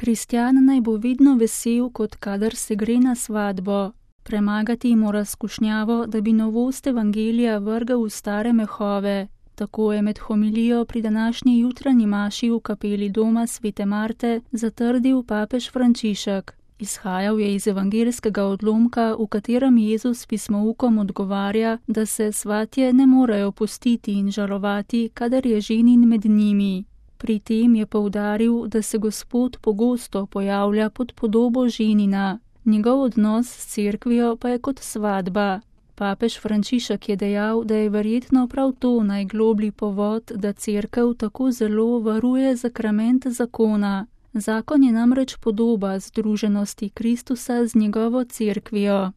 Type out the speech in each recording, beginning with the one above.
Kristjan naj bo vedno vesel, kot kadar se gre na svatbo. Premagati mora skušnjavo, da bi novost evangelija vrgal v stare mehove. Tako je med homilijo pri današnji jutranji maši v kapeli doma Svete Marte zatrdil papež Frančišek. Izhajal je iz evangeljskega odlomka, v katerem Jezus pismoukom odgovarja, da se svatje ne morejo pustiti in žalovati, kadar je ženin med njimi. Pri tem je poudaril, da se Gospod pogosto pojavlja pod podobo ženina. Njegov odnos s cerkvijo pa je kot svatba. Papež Frančišek je dejal, da je verjetno prav to najgloblji povod, da cerkev tako zelo varuje sakrament zakona. Zakon je namreč podoba združenosti Kristusa z njegovo cerkvijo.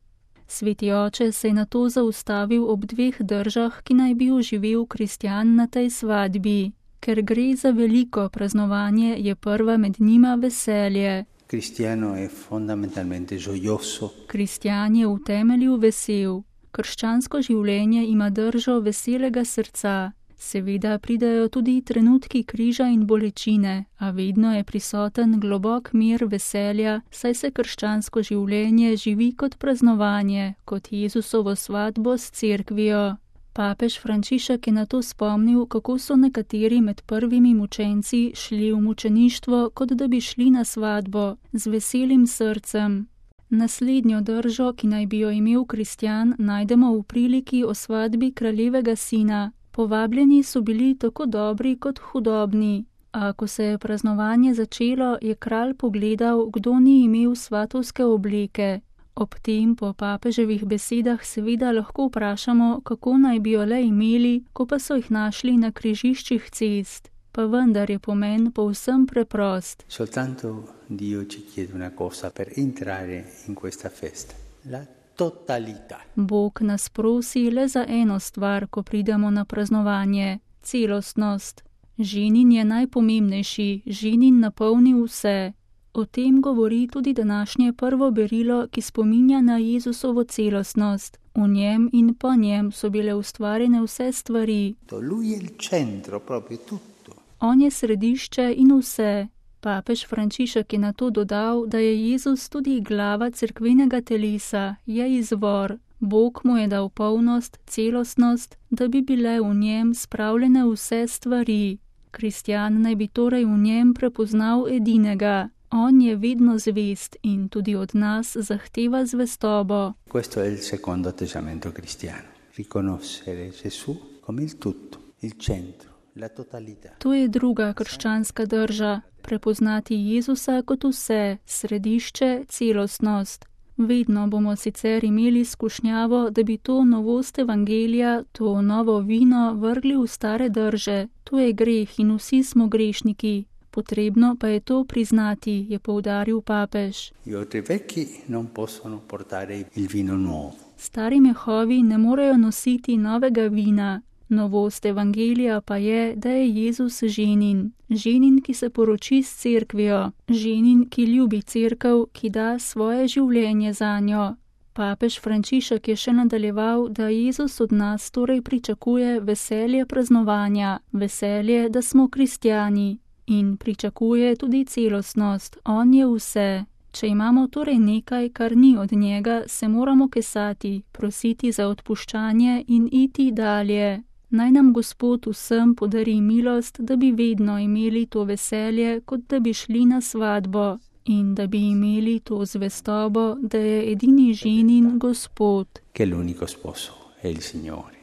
Sveti oče se je nato zaustavil ob dveh držah, ki naj bi oživel kristjan na tej svadbi. Ker gre za veliko praznovanje, je prva med njima veselje. Kristjan je v temelju vesel. Krščansko življenje ima držo veselega srca. Seveda pridajo tudi trenutki križa in bolečine, a vedno je prisoten globok mir veselja, saj se krščansko življenje živi kot praznovanje, kot Jezusovo svatbo s cerkvijo. Papež Frančišek je nato spomnil, kako so nekateri med prvimi mučenci šli v mučeništvo, kot da bi šli na svadbo, z veselim srcem. Naslednjo držo, ki naj bi jo imel kristjan, najdemo v priliki o svadbi kraljevega sina. Povabljeni so bili tako dobri kot hudobni. A ko se je praznovanje začelo, je kralj pogledal, kdo ni imel svatovske obleke. Ob tem po papeževih besedah seveda lahko vprašamo, kako naj bi jo le imeli, ko pa so jih našli na križiščih cest. Pa vendar je pomen povsem preprost. Soltanto Dio ci chiede una cosa per entrare in questa festa. La totalità. Bog nas prosi le za eno stvar, ko pridemo na praznovanje. Celostnost. Ženin je najpomembnejši, ženin napolni vse. O tem govori tudi današnje prvo berilo, ki spominja na Jezusovo celostnost. V njem in po njem so bile ustvarjene vse stvari. Lui è il centro, proprio tutto. On je središče in vse. Papež Frančišek je nato dodal, da je Jezus tudi glava cerkvenega telesa, je izvor. Bog mu je dal polnost, celostnost, da bi bile v njem spravljene vse stvari. Kristjan naj bi torej v njem prepoznal edinega. On je vedno zvest in tudi od nas zahteva zvestobo. Questo è il secondo atteggiamento cristiano. Riconoscere Gesù come il tutto, il centro, la totalità. To je druga krščanska drža. Prepoznati Jezusa kot vse, središče, celostnost. Vedno bomo sicer imeli skušnjavo, da bi to novost evangelija, to novo vino vrgli v stare drže. To je greh in vsi smo grešniki. Potrebno pa je to priznati, je poudaril papež. Stari mehovi ne morejo nositi novega vina. Novost evangelija pa je, da je Jezus ženin. Ženin, ki se poroči s cerkvijo. Ženin, ki ljubi cerkev, ki da svoje življenje zanjo. Papež Frančišek je še nadaljeval, da Jezus od nas torej pričakuje veselje praznovanja, veselje, da smo kristjani. In pričakuje tudi celostnost. On je vse. Če imamo torej nekaj, kar ni od njega, se moramo kesati, prositi za odpuščanje in iti dalje. Naj nam Gospod vsem podari milost, da bi vedno imeli to veselje, kot da bi šli na svadbo in da bi imeli to zvestobo, da je edini ženin Gospod. Che l'unico sposo è il Signore.